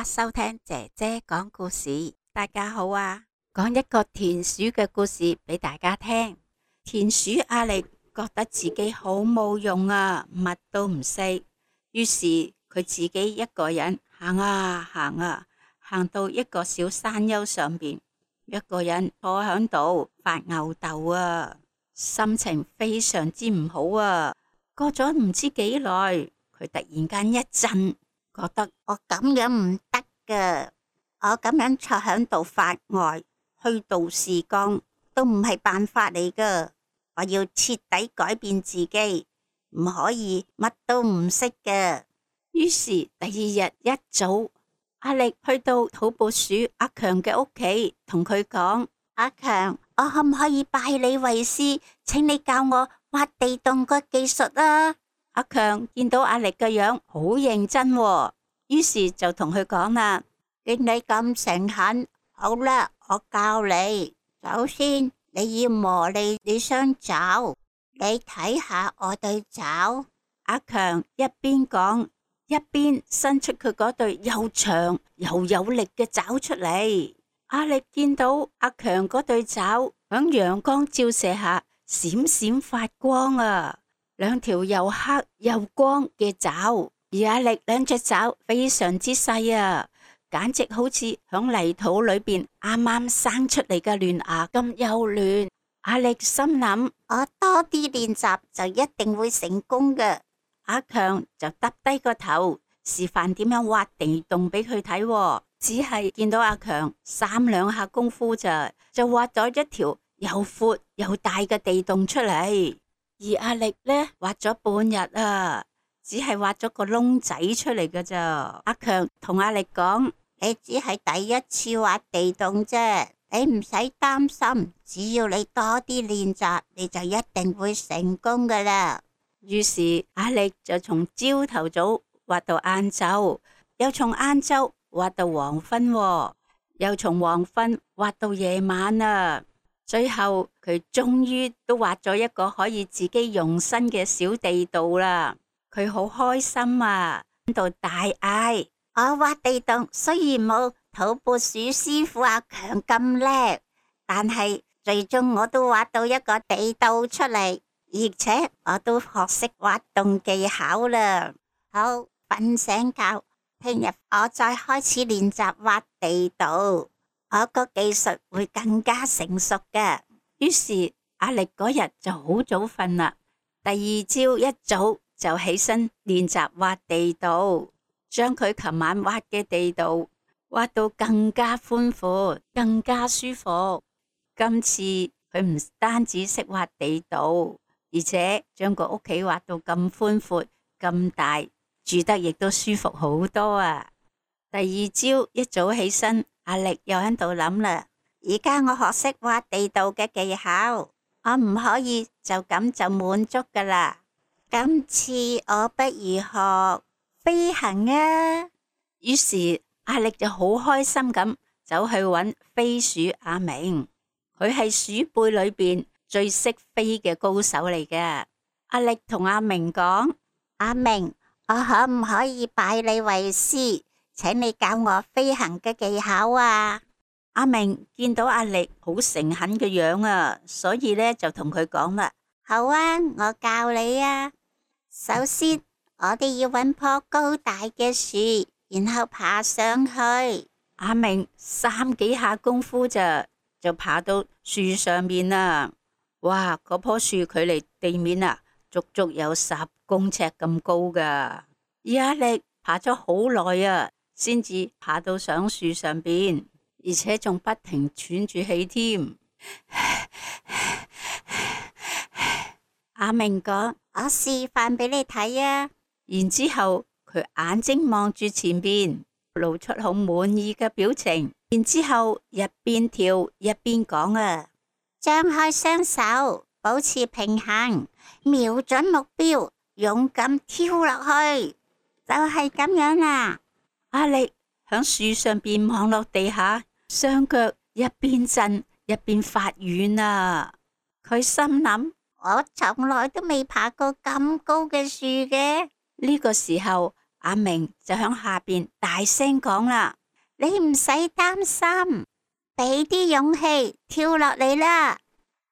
家收聽姐姐講故事。大家好啊，講一個田鼠嘅故事俾大家聽。田鼠阿力覺得自己好冇用啊，乜都唔識，於是佢自己一個人行啊行啊，行到一個小山丘上邊，一個人坐響度發吽哣啊，心情非常之唔好啊。過咗唔知幾耐，佢突然間一震，覺得我咁樣唔得噶，我咁樣坐響度發呆，虛度時光都唔係辦法嚟噶。我要徹底改變自己，唔可以乜都唔識嘅。於是第二日一早，阿力去到土撥鼠阿強嘅屋企，同佢講：阿強，我可唔可以拜你為師，請你教我挖地洞個技術啊？阿強見到阿力嘅樣好認真喎，於是就同佢講啦：見你咁誠懇，好啦，我教你。首先你要磨你雙爪，你睇下我對爪。阿強一邊講，一邊伸出佢嗰對又長又有力嘅爪出嚟。阿力見到阿強嗰對爪響陽光照射下閃閃發光啊，兩條又黑又光嘅爪，而阿力兩隻爪非常之細啊，簡直好似響泥土裏邊啱啱生出嚟嘅嫩芽咁幼嫩。阿力心諗：我多啲練習就一定會成功嘅。阿強就耷低個頭示範點樣挖地洞俾佢睇，只係見到阿強三兩下功夫就挖咗一條又闊又大嘅地洞出嚟，而阿力呢，挖咗半日啊，只係挖咗個窿仔出嚟㗎咋。阿強同阿力講：你只係第一次挖地洞啫，你唔使擔心，只要你多啲練習，你就一定會成功㗎啦。於是阿力就從朝頭早挖到晏晝，又從晏晝挖到黃昏，又從黃昏挖到夜晚啊。最後佢終於都挖咗一個可以自己用身嘅小地道啦。佢好開心啊，喺度大嗌：我挖地洞雖然冇土撥鼠師傅阿強咁叻，但係最終我都挖到一個地道出嚟，而且我都學識挖洞技巧啦。好，瞓醒覺，聽日我再開始練習挖地道，我個技術會更加成熟嘅。於是阿力嗰日就好早瞓啦，第二朝一早就起身練習挖地道，將佢琴晚挖嘅地道挖到更加寬闊，更加舒服。今次佢唔單止識挖地道，而且將個屋企挖到咁寬闊咁大，住得亦都舒服好多啊！第二朝一早起身，阿力又喺度諗啦：而家我學識挖地道嘅技巧，我唔可以就咁就滿足噶啦。今次我不如學飛行啊！於是阿力就好開心咁走去揾飛鼠阿明，佢係鼠輩裏邊最識飛嘅高手嚟嘅。阿力同阿明講：阿明，我可唔可以拜你為師，請你教我飛行嘅技巧啊？阿明見到阿力好誠懇嘅樣啊，所以呢就同佢講啦：好啊，我教你啊。首先我哋要揾棵高大嘅樹，然後爬上去。阿明三幾下功夫就爬到樹上面啦。哇，嗰棵樹距離地面啊足足有10公尺咁高噶。而阿力爬咗好耐啊，先至爬到上樹上邊，而且仲不停喘住氣添。阿明講：我示範俾你睇啊。然之後佢眼睛望住前邊，露出好滿意嘅表情。然之後一邊跳一邊講啊：張開雙手，保持平衡，瞄準目標，勇敢跳落去，就係咁樣啦。阿力響樹上邊望落地下，雙腳一邊震一邊發軟啊。佢心諗：我從來都未爬過咁高嘅樹嘅。呢個時候，阿明就響下邊大聲講啦：你唔使擔心，俾啲勇氣跳落嚟啦！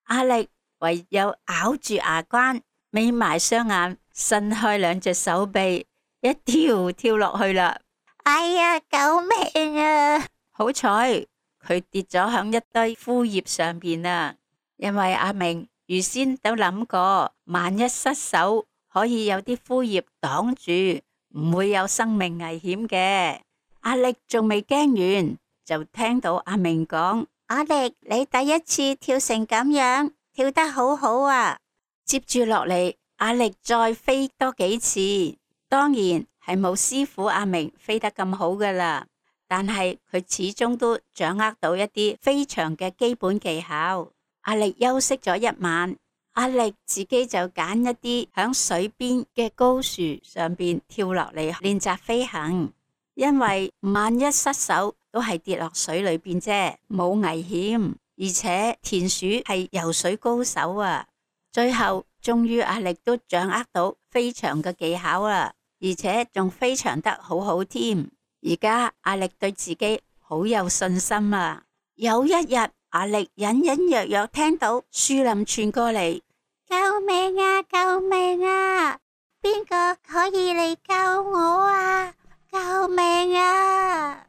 阿力唯有咬住牙關，眯埋雙眼，伸開兩隻手臂，一跳落去啦！哎呀，救命啊！好彩佢跌咗響一堆枯葉上邊啊！因為阿明預先都諗過，萬一失手，可以有啲枯葉擋住，唔會有生命危險嘅。阿力仲未驚完，就聽到阿明講：阿力，你第一次跳成咁樣，跳得好好啊！接住落嚟，阿力再飛多幾次，當然係冇師傅阿明飛得咁好噶啦，但係佢始終都掌握到一啲飛翔嘅基本技巧。阿力休息咗一晚，阿力自己就揀一啲響水邊嘅高樹上邊跳落嚟練習飛行，因為萬一失手都係跌落水裏邊啫，冇危險。而且田鼠係游水高手啊，最後終於阿力都掌握到飛翔嘅技巧啦，而且仲飛翔得好好添。而家阿力對自己好有信心啊！有一日，阿力隱隱約約聽到樹林傳過嚟：救命啊！救命啊！邊個可以嚟救我啊？救命啊！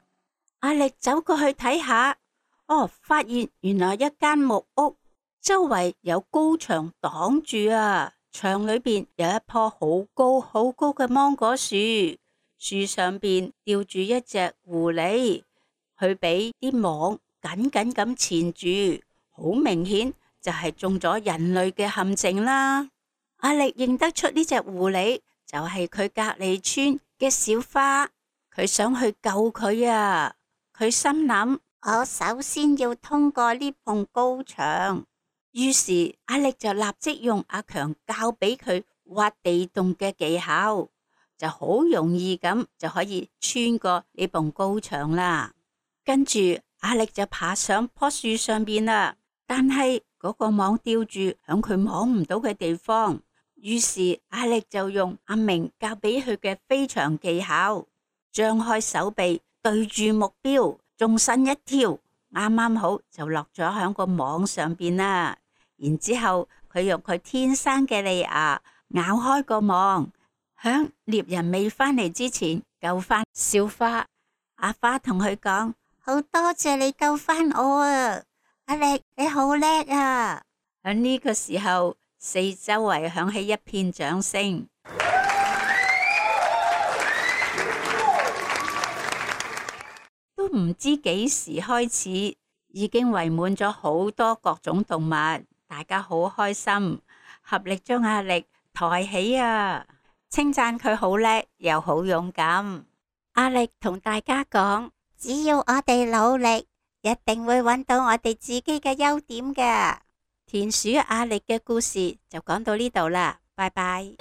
阿力走過去睇下，發現原來一間木屋，周圍有高牆擋住啊，牆裏邊有一棵好高好高嘅芒果樹，樹上邊吊住一隻狐狸，佢俾啲網緊緊咁纏住，好明顯就係中咗人類嘅陷阱啦。阿力認得出呢隻狐狸就係佢隔籬村嘅小花，佢想去救佢啊。佢心諗：我首先要通過呢埲高牆。於是阿力就立即用阿強教俾佢挖地洞嘅技巧，就好容易咁就可以穿過呢埲高牆啦。跟住阿力就爬上棵樹上邊啦，但係嗰個網吊住響佢摸唔到嘅地方。於是阿力就用阿明教俾佢嘅飛翔技巧，張開手臂對住目標，縱身一跳，啱啱好就落咗響個網上邊啦。然之後佢用佢天生嘅利牙咬開個網，響獵人未返嚟之前救返小花。阿花同佢講：好多謝你救返我啊！阿力，你好叻啊！喺呢個時候，四周圍響起一片掌聲，都唔知幾時開始，已經圍滿咗好多各種動物，大家好開心，合力將阿力抬起啊！稱讚佢好叻又好勇敢。阿力同大家講：只要我哋努力，一定會揾到我哋自己嘅優點㗎。田鼠阿力嘅故事就講到呢度啦，拜拜。